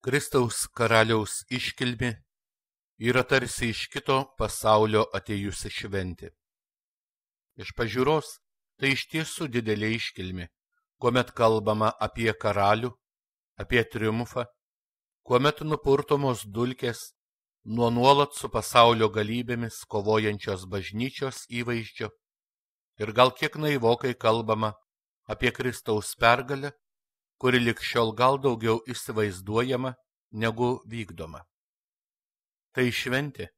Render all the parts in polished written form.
Kristaus karaliaus iškilmė yra tarsi iš kito pasaulio atėjusi šventė. Iš pažiūros tai iš tiesų didelė iškilmė, kuomet kalbama apie karalių, apie triumfą, kuomet nupurtomos dulkės nuo nuolat su pasaulio galybėmis kovojančios bažnyčios įvaizdžio ir gal kiek naivokai kalbama apie Kristaus pergalę, kuri lig šiol gal daugiau įsivaizduojama negu vykdoma. Tai šventė,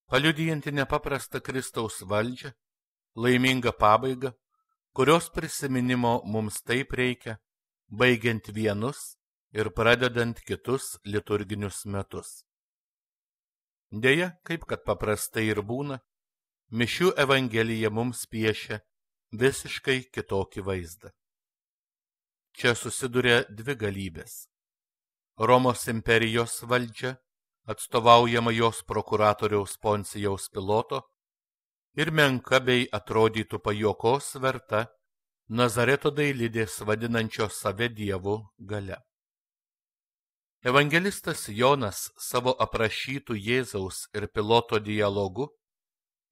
paliudijanti nepaprastą Kristaus valdžią, laimingą pabaigą, kurios prisiminimo mums taip reikia, baigiant vienus ir pradedant kitus liturginius metus. Deja, kaip kad paprastai ir būna, mišių evangelija mums piešia visiškai kitokį vaizdą. Čia susiduria dvi galybės. Romos imperijos valdžia, atstovaujama jos prokuratoriaus Poncijaus Piloto, ir menka bei atrodytų pajuokos verta Nazareto dailidės vadinančios save Dievu galia. Evangelistas Jonas savo aprašytų Jėzaus ir Piloto dialogu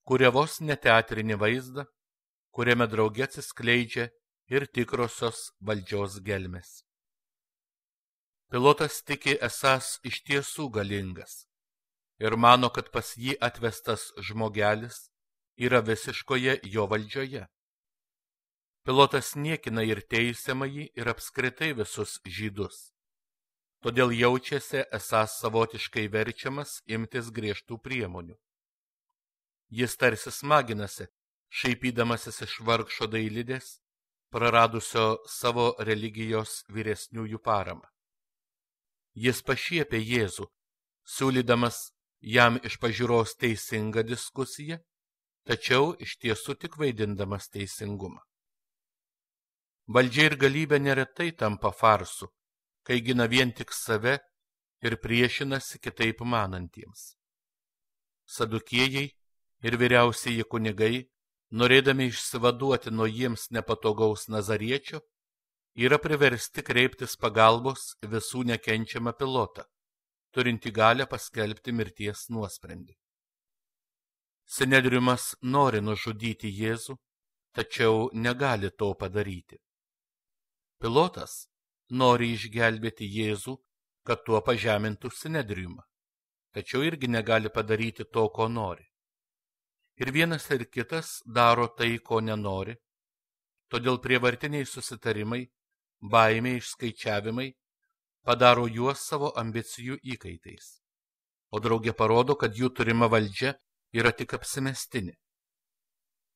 kuria vos ne teatrinį vaizdą, kuriame drauge atsiskleidžia ir tikrosios valdžios gelmės. Pilotas tiki esąs iš tiesų galingas ir mano, kad pas jį atvestas žmogelis yra visiškoje jo valdžioje. Pilotas niekina ir teisiamąjį ir apskritai visus žydus, todėl jaučiasi esąs savotiškai verčiamas imtis griežtų priemonių. Jis tarsi smaginasi, šaipydamasis iš vargšo dailidės, praradusio savo religijos vyresniųjų paramą. Jis pašiepia Jėzų, siūlydamas jam iš pažiūros teisingą diskusiją, tačiau iš tiesų tik vaidindamas teisingumą. Valdžia ir galybė neretai tampa farsu, kai gina vien tik save ir priešinasi kitaip manantiems. Sadukiejai ir vyriausieji kunigai, norėdami išsivaduoti nuo jiems nepatogaus Nazariečio, yra priversti kreiptis pagalbos visų nekenčiamą Pilotą, turinti galią paskelbti mirties nuosprendį. Sinedriumas nori nužudyti Jėzų, tačiau negali to padaryti. Pilotas nori išgelbėti Jėzų, kad tuo pažemintų Sinedriumą, tačiau irgi negali padaryti to, ko nori. Ir vienas ir kitas daro tai, ko nenori, todėl prievartiniai susitarimai, baimė, išskaičiavimai padaro juos savo ambicijų įkaitais, o drauge parodo, kad jų turima valdžia yra tik apsimestinė.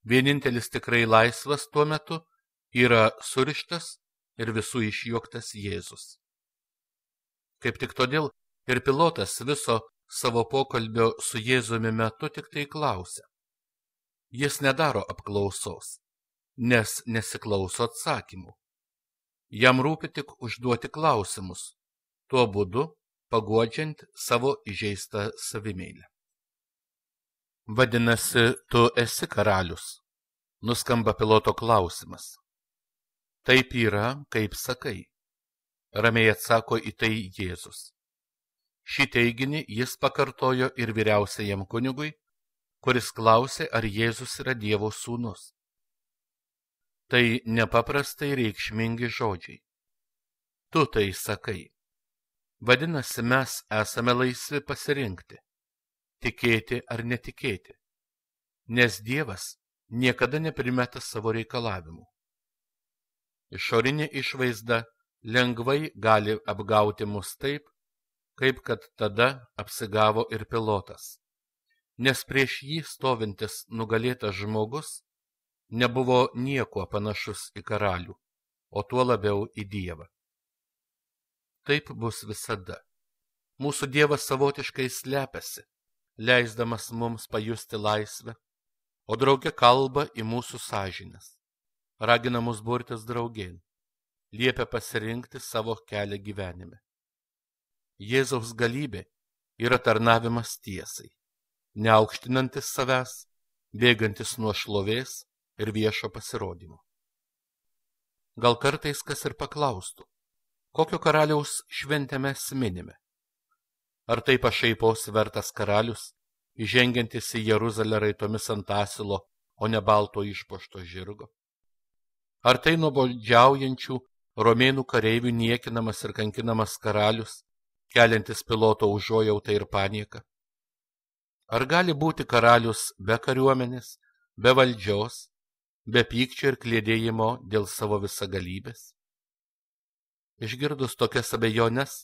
Vienintelis tikrai laisvas tuo metu yra surištas ir visų išjuoktas Jėzus. Kaip tik todėl ir Pilotas viso savo pokalbio su Jėzumi metu tik tai klausia. Jis nedaro apklausos, nes nesiklauso atsakymų. Jam rūpi tik užduoti klausimus, tuo būdu paguodžiant savo įžeistą savimeilę. Vadinasi, tu esi karalius, nuskamba Piloto klausimas. Taip yra, kaip sakai, ramiai atsako į tai Jėzus. Šį teiginį jis pakartojo ir vyriausiajam kunigui, kuris klausė, ar Jėzus yra Dievo sūnus. Tai nepaprastai reikšmingi žodžiai. Tu tai sakai. Vadinasi, mes esame laisvi pasirinkti, tikėti ar netikėti, nes Dievas niekada neprimeta savo reikalavimų. Išorinė išvaizda lengvai gali apgauti mus taip, kaip kad tada apsigavo ir Pilotas, nes prieš jį stovintis nugalėtas žmogus nebuvo niekuo panašus į karalių, o tuo labiau į Dievą. Taip bus visada. Mūsų Dievas savotiškai slepiasi, leisdamas mums pajusti laisvę, o drauge kalba į mūsų sąžines, ragina mus burtis draugėn, liepia pasirinkti savo kelią gyvenime. Jėzaus galybė yra tarnavimas tiesai, neaukštinantis savęs, bėgantis nuo šlovės ir viešo pasirodymo. Gal kartais kas ir paklaustų, Kokio karaliaus šventę mes minime? Ar tai pašaipos vertas karalius, įžengiantis į Jeruzalę raitomis ant asilo, o ne balto išpuošto žirgo? Ar tai nuobodžiaujančių romėnų kareivių niekinamas ir kankinamas karalius, keliantis Piloto užuojautą ir panieką? Ar gali būti karalius be kariuomenės, be valdžios, be pykčio ir kliedėjimo dėl savo visagalybės? Išgirdus tokias abejones,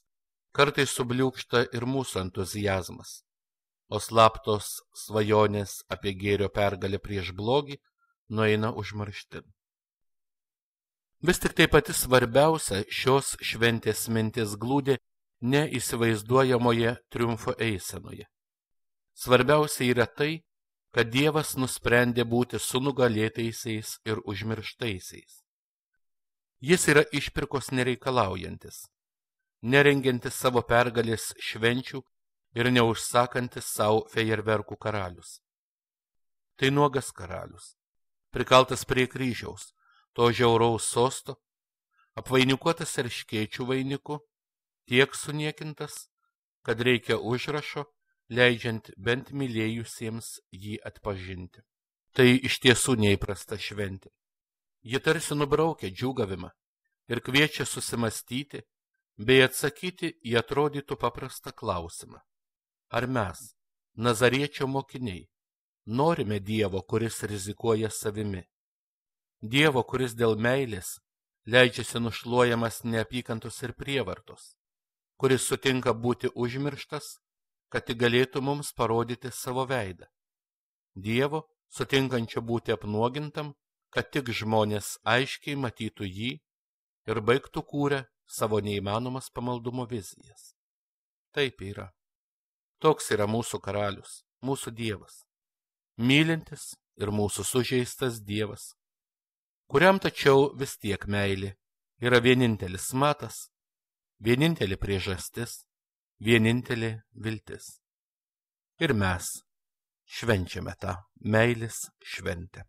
kartais subliūkšta ir mūsų entuziazmas, o slaptos svajonės apie gėrio pergalę prieš blogį nueina užmarštin. Vis tik tai pati svarbiausia šios šventės mintis glūdi neįsivaizduojamoje triumfo eisenoje. Svarbiausia yra tai, kad Dievas nusprendė būti su nugalėtaisiais ir užmirštaisiais. Jis yra išpirkos nereikalaujantis, nerengiantis savo pergalės švenčių ir neužsakantis savo fejerverkų karalius. Tai nuogas karalius, prikaltas prie kryžiaus, to žiauraus sosto, apvainikuotas erškėčių vainiku, tiek suniekintas, kad reikia užrašo, leidžiant bent mylėjusiems jį atpažinti. Tai iš tiesų neįprasta šventė. Ji tarsi nubraukia džiūgavimą ir kviečia susimastyti bei atsakyti į atrodytų paprastą klausimą. Ar mes, Nazariečio mokiniai, norime Dievo, kuris rizikuoja savimi? Dievo, kuris dėl meilės leidžiasi nušluojamas neapykantos ir prievartos, kuris sutinka būti užmirštas, kad tik galėtų mums parodyti savo veidą. Dievo, sutinkančio būti apnuogintam, kad tik žmonės aiškiai matytų jį ir baigtų kūrę savo neįmanomas pamaldumo vizijas. Taip yra. Toks yra mūsų karalius, mūsų Dievas. Mylintis ir mūsų sužeistas Dievas, kuriam tačiau vis tiek meilė yra vienintelis matas, vienintelė priežastis, vienintelė viltis. Ir mes švenčiame tą meilės šventę.